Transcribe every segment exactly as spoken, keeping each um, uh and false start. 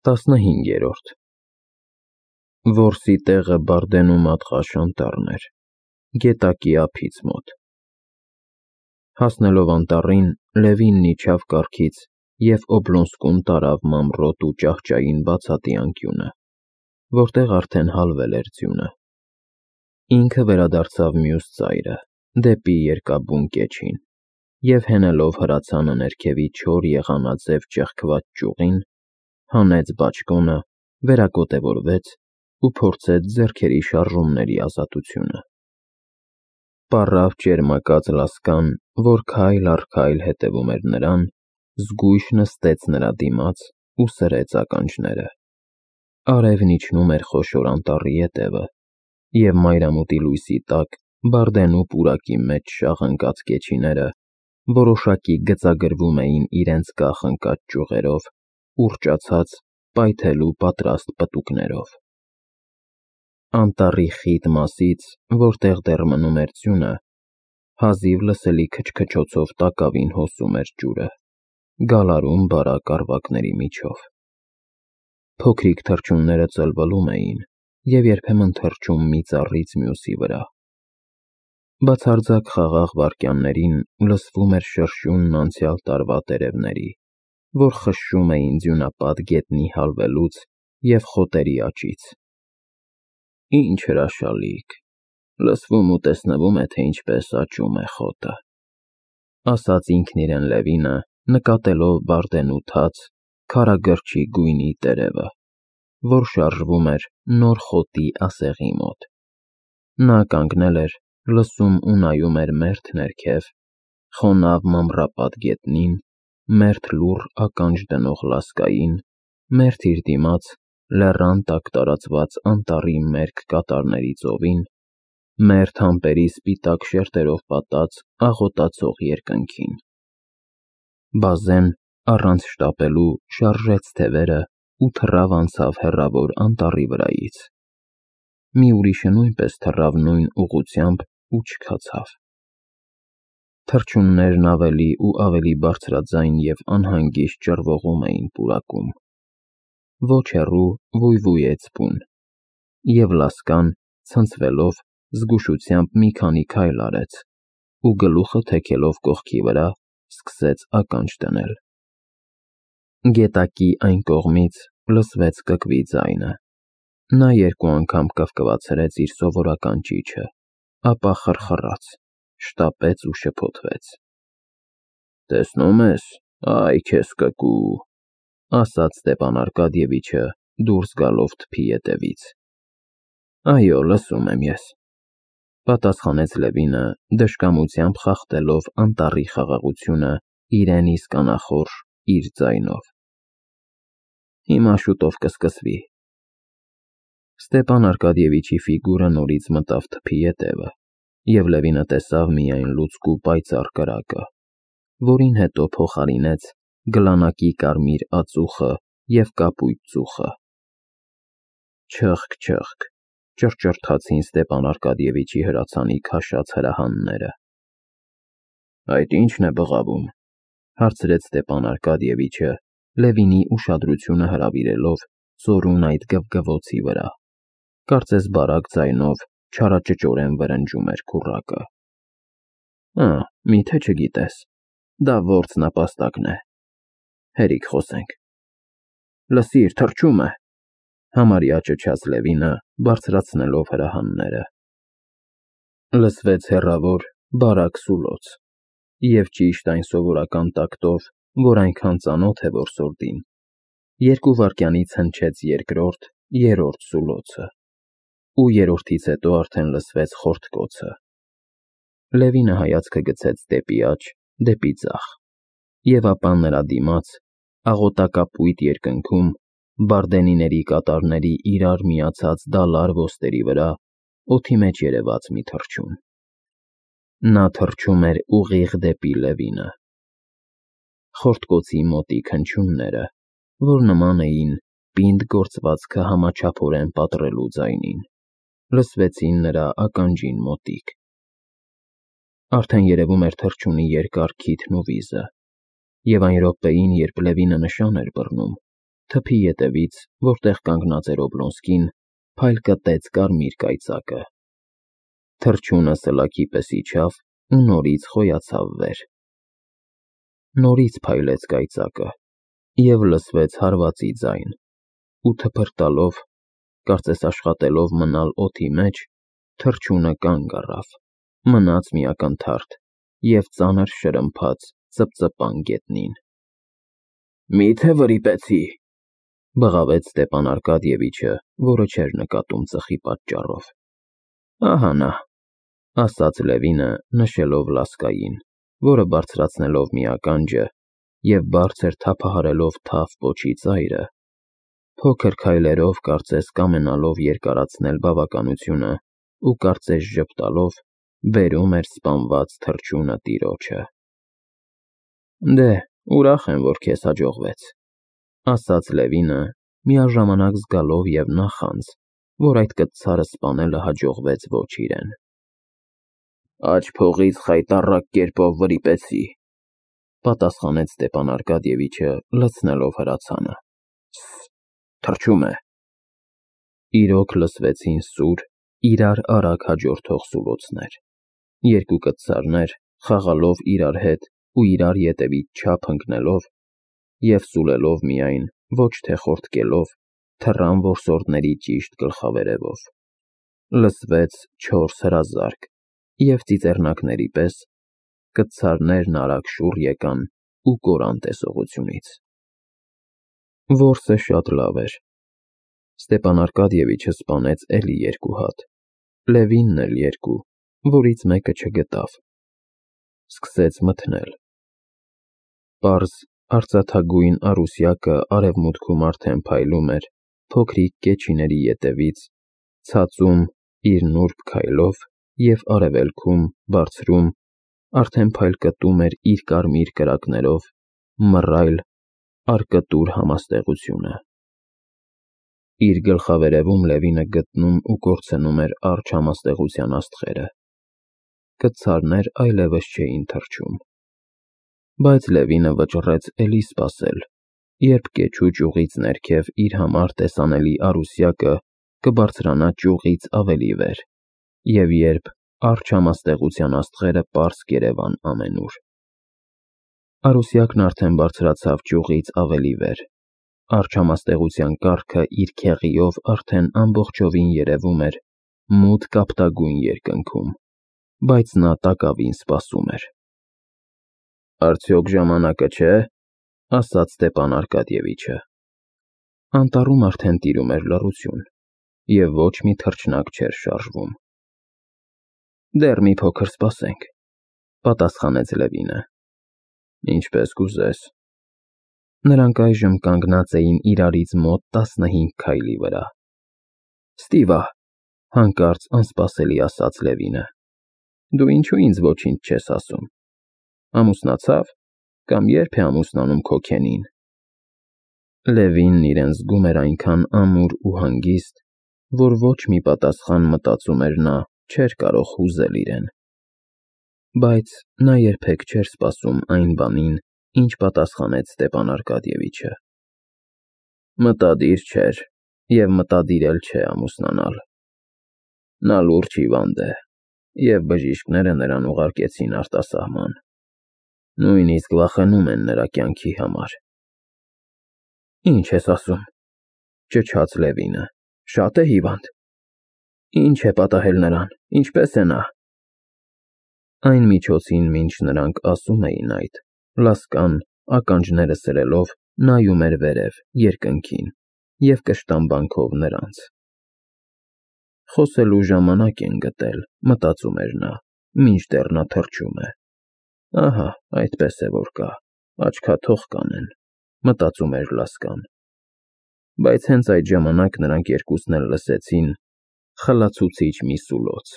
Տասնհինգերորդ Որսի տեղը Բարդենու մատղաշ անտառն էր, գետակի ափից մոտ։ Հասնելով անտառին, Լևինն իջավ կառքից և Օբլոնսկում տարավ մանրոտ ու ճահճային բացատի անկյունը, որտեղ արդեն հալվել էր ձյունը։ Ինքը վերադարձավ մյուս ծայրը, դեպի Երկաբուն կեչին, և հենելով հրացանը ներքևի չոր եղանաձև ճեղքված ճյուղին, հանեց բաճկոնը, վերակոտևորվեց ու փորձեց ձեռքերի շարժումների ազատությունը։ Պառավ ճերմակած լասկան, որ քայլ առ քայլ հետևում էր նրան, զգույշ նստեց նրա դիմաց ու սրեց ականջները։ Արևն իջնում էր խոշոր անտառի ետևը, և մայրամուտի լույսի տակ Բարդենու պուրակի մեջ շաղ ընկած կեչիները որոշակի գծագրվում էին իրենց կախ ընկած ճյուղերով, ուռճացած, պայթելու պատրաստ պտուկներով։ Անտառի խիտ մասից, որտեղ դեռ մնում էր ձյունը, հազիվ լսելի քչքչոցով տակավին հոսում էր ջուրը, գալարում բարակ առվակների միջով։ Փոքրիկ թռչունները ծլվլում էին և երբեմն թռչում մի ծառից մյուսի վրա։ Բացարձակ խաղաղ վայրկյաններին լսվում էր շրշյունն անցյալ տարվա տերևների, որ խշշում էին ձյունապատ գետնի հալվելուց և խոտերի աճից։ Ինչ հրաշալիք, լսվում ու տեսնվում է, թե ինչպես աճում է խոտը, ասաց ինքն իրեն Լևինը, նկատելով Բարդենու թաց, քարագրչի գույնի տերևը, որ շարժվում էր նոր խոտի ասեղի մոտ։ Նա կանգնել էր, լսում ու նայում էր մերթ ներքև, խոնավ մամռապատ գետնին, մերթ լուռ ականջ դնող լասկային, մերթ իր դիմաց լեռան տակ տարածված անտառի մերկ կատարների ծովին, մերթ ամպերի սպիտակ շերտերով պատած աղոտացող երկնքին։ Բազեն, առանց շտապելու, շարժեց թևերը ու թռավ անցավ հեռավոր անտառի վրայից։ Մի ուրիշը նույնպես թռավ նույն ուղղությամբ ու չքացավ։ Թռչուններն ավելի ու ավելի բարձրաձայն և անհանգիստ ճռվողում էին պուրակում։ Ոչ հեռու վույվույեց բուն, և լասկան, ցնցվելով, զգուշությամբ մի քանի քայլ արեց ու գլուխը թեքելով կողքի վրա, սկսեց ականջ դնել։ Գետակի այն կողմից լսվեց կկվի ձայնը։ Նա երկու անգամ կվկվացրեց իր սովորական ճիչը, ապա խռխռաց, շտապեց ու շփոթվեց։ «Տեսնում ես, այ քեզ կկու», ասաց Ստեփան Արկադիևիչը, դուրս գալով թփի ետևից։ «Այո, լսում եմ ես», պատասխանեց Լևինը, դժկամությամբ խախտելով անտառի խաղաղությունը իրեն իսկ անախորժ իր ձայնով։ «Հիմա շուտով կսկսվի»։ Ստեփան Արկադիևիչի ֆիգուրը նորից մտավ թփի ետևը, և Լևինը տեսավ միայն լուցկու պայծառ կրակը, որին հետո փոխարինեց գլանակի կարմիր ածուխը և կապույտ ծուխը։ Չըխկ, չըխկ, ճռճռթացին Ստեփան Արկադիևիչի հրացանի քաշած հրահանները։ «Այդ ի՞նչն է բղավում», հարցրեց Ստեփան Արկադիևիչը, Լևինի ուշադրությունը հրավիրելով ծորուն այդ գվգվոցի վրա, կարծես բարակ ձայնով չարաճճորեն վրնջում էր քուռակը։ «Ա, մի՞թե չգիտես, դա որձնապաստակն է, հերիք խոսենք»։ «Լսիր, թռչում է», համարյա ճչաց Լևինը, բարձրացնելով հրահանները։ Լսվեց հեռավոր, բարակ սուլոց, և ճիշտ այն սովորական տակտով, որ այնքան ծանոթ է որսորդին, երկու վայրկյանից հնչեց երկրորդ, երրորդ սուլոցը, ու երրորդից հետո արդեն լսվեց խորտկոցը։ Լևինը հայացքը գցեց դեպի աջ, դեպի ձախ, և ապա նրա դիմաց, աղոտակապույտ երկնքում, բարդենիների կատարների իրար միացած դալար ոստերի վրա, օդի մեջ երևաց մի թռչուն։ Նա թռչում էր ուղիղ դեպի Լևինը։ Խորտկոցի մոտիկ հնչյունները, որ նման էին պինդ գործվածքը համաչափորեն պատռելու ձայնին, լսվեցին նրա ականջին մոտիկ։ Արդեն երևում էր թռչունի երկար քիթն ու վիզը, և այն րոպեին, երբ Լևինը նշան էր բռնում, թփի ետևից, որտեղ կանգնած էր Օբլոնսկին, փայլ կտեց կարմիր կայծակը։ Թռչյունը սլաքի պես իջավ ու նորից խոյացավ վեր։ Նորից փայլեց կայծակը, և լսվեց հարվածի ձայն, ու թփրտալով, կարծես աշխատելով մնալ օդի մեջ, թռչյունը կանգ առավ, մնաց մի ակնթարթ և ծանր շրմփաց ծպծպան գետնին։ «Մի՞թե վրիպեցի», բղավեց Ստեփան Արկադիևիչը, որը չէր նկատում ծխի պատճառով։ «Ահա նա», ասաց Լևինը, նշելով Լասկային, որը բարձրացնելով մի ականջը և բարձր թափահարելով թավ պոչի ծայրը, փոքր քայլերով, կարծես կամենալով երկարացնել բավականությունը ու կարծես ժպտալով, բերում էր սպանված թռչյունը տիրոջը։ «Դե, ուրախ եմ, որ քեզ հաջողվեց», ասաց Լևինը, միաժամանակ զգալով և նախանձ, որ այդ կտցարը սպանելը հաջողվեց ոչ իրեն։ «Աջ փողից խայտառակ կերպով վրիպեցի», պատասխանեց Ստեփան Արկադիևիչը, լցնելով հրացանը։ «Ս֊ս, թռչում է»։ Իրոք լսվեցին սուր, իրար արագ հաջորդող սուլոցներ։ Երկու կտցարներ, խաղալով իրար հետ ու իրար ետևից չափ ընկնելով և սուլելով միայն, ոչ թե խորտկելով, թռան որսորդների ճիշտ գլխավերևով։ Լսվեց չորս հրազարկ, և ծիծեռնակների պես կտցարներն արագ շուռ եկան ու կորան տեսողությունից։ Որսը շատ լավ էր։ Ստեփան Արկադիևիչը սպանեց էլի երկու հատ, Լևինն էլ երկու, որից մեկը չգտավ։ Սկսեց մթնել։ Պարզ, արծաթագույն առուսյակը արևմուտքում արդեն փայլում էր փոքրիկ կեչիների ետևից, ցածում իր նուրբ քայլով և արևելքում, բարձրում, արդեն փայլկտում էր իր կարմիր կրակներով մռայլ, արկտուր համաստեղությունը։ Իր գլխավերևում Լևինը գտնում ու կորցնում էր առջ համաստեղության աստղերը։ Կտցարներ այլևս չէին թռչում։ Բայց Լևինը վճռեց էլի սպասել, երբ կեչու ճյուղից ներքև իր համար տեսանելի առուսյակը կբարձրանա ճյուղից ավելի վեր, և երբ առջ համաստեղության աստղերը պարզ կերևան ամենուր։ Առուսյակն արդեն բարձրացավ ճյուղից ավելի վեր, առջ համաստեղության կառքը իր քեղիով արդեն ամբողջովին երևում էր մութ կապտագույն երկնքում, բայց նա տակավին սպասում էր։ «Արդյոք ժամանակը չէ», ասաց Ստեփան Արկադիևիչը։ Անտառում արդեն տիրում էր լռություն, և ոչ մի թռչնակ չէր շարժվում։ «Դեռ մի փոքր սպասենք», պատասխանեց Լևինը։ «Ինչպես կուզես»։ Նրանք այժմ կանգնած էին իրարից մոտ տասնհինգ քայլի վրա։ «Ստիվա», հանկարծ անսպասելի ասաց Լևինը, «դու ինչու ինձ ոչինչ չես ասում։ Ամուսնացա՞վ, կամ ե՞րբ է ամուսնանում քո քենին»։ Լևինն իրեն զգում էր այնքան ամուր ու հանգիստ, որ ոչ մի պատասխան, մտածում էր նա, չէր կարող հուզել իրեն։ Բայց նա երբեք չէր սպասում այն բանին, ինչ պատասխանեց Ստեփան Արկադիևիչը։ Մտադիր չէր և մտադիր էլ չէ ամուսնանալ։ Նա լուրջ հիվանդ է, և բժիշկները նրան ուղարկեցին արտասահման։ Նույնիսկ վախենում են նրա կյանքի համար։ «Ինչ ես ասում», ճչաց Լևինը, «շա՞տ է հիվանդ։ Ինչ է պատահել նրան, ինչպե՞ս է նա»։ Այն միջոցին, մինչ նրանք ասում էին այդ, Լասկան, ականջները սրելով, նայում էր վերև, երկնքին, և կշտամբանքով նրանց։ Խոսելու ժամանակ են գտել, մտածում էր նա, մինչդեռ նա թռչում է։ Ահա, այդպես է որ կա, աչքաթող կանեն, մտածում էր Լասկան։ Բայց հենց այդ ժամանակ նրանք երկուսն էլ լսեցին խլացուցիչ մի սուլոց,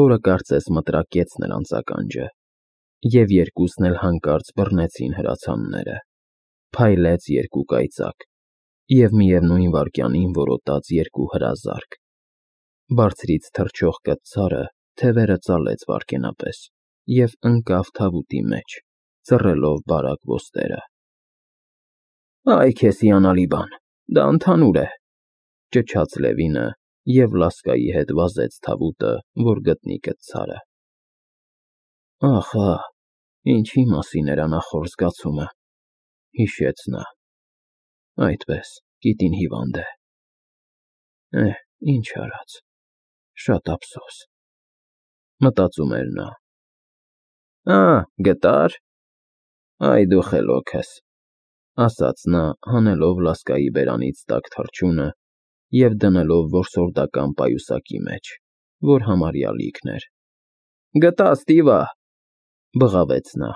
որը կարծես մտրակեց նրանց ականջը, և երկուսն էլ հանկարծ բռնեցին հրացանները։ Փայլեց երկու կայծակ, և միևնույն վայրկյանին որոտաց երկու հրազարկ։ Բարձրից թռչող կտցարը թևերը ծալեց վայրկենապես և ընկավ թավուտի մեջ, ծռելով բարակ ոստերը։ «Այ քեզ հիանալի բան», Դա ընդհանուր է, ճչաց Լևինը և լասկայի հետ վազեց թավուտը, որ գտնի կտցարը։ Ախ, ահ, ինչի մասին էր անախորժ զգացումը, հիշեց նա, այդպես, կիտին հիվանդ է, էհ, ինչ արած, շատ ափսոս, մտածում էր նա։ Ա, գտա՞ր, այ դու խելոքս, ասաց նա, հանելով լասկայի բերանից տաք թռչունը և դնելով որսորդական պայուսակի մեջ, որ համարյա լիքն էր։ Գտա, Ստիվա, բղավեց նա։